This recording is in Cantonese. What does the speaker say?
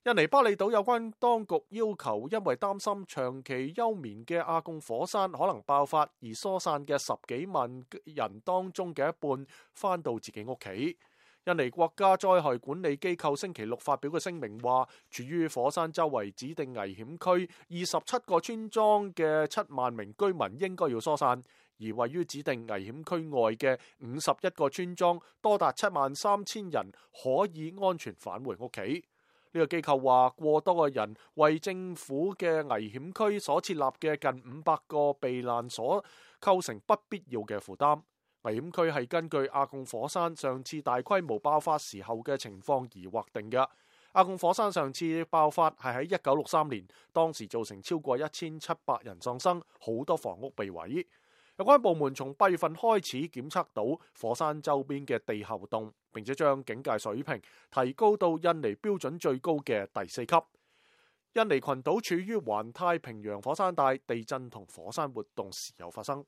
印尼巴厘島有關當局要求，因為擔心長期休眠嘅阿貢火山可能爆發，而疏散嘅10幾萬人當中嘅一半返到自己屋企。印尼國家災害管理機構星期六發表嘅聲明話，處於火山周圍指定危險區27個村莊嘅7萬名居民應該要疏散，而位於指定危險區外嘅51個村莊多達73000人可以安全返回屋企。呢個機構話，過多個人為政府嘅危險區所設立嘅近500個避難所構成不必要嘅負擔。危險區係根據阿貢火山上次大規模爆發時候嘅情況而劃定嘅。阿貢火山上次爆發係喺1963年，當時造成超過1700人喪生，好多房屋被毀。有關部門從8月份開始檢測到火山周邊嘅地下活動，並且將警戒水平提高到印尼標準最高嘅第4級。印尼群島處於環太平洋火山帶，地震同火山活動時有發生。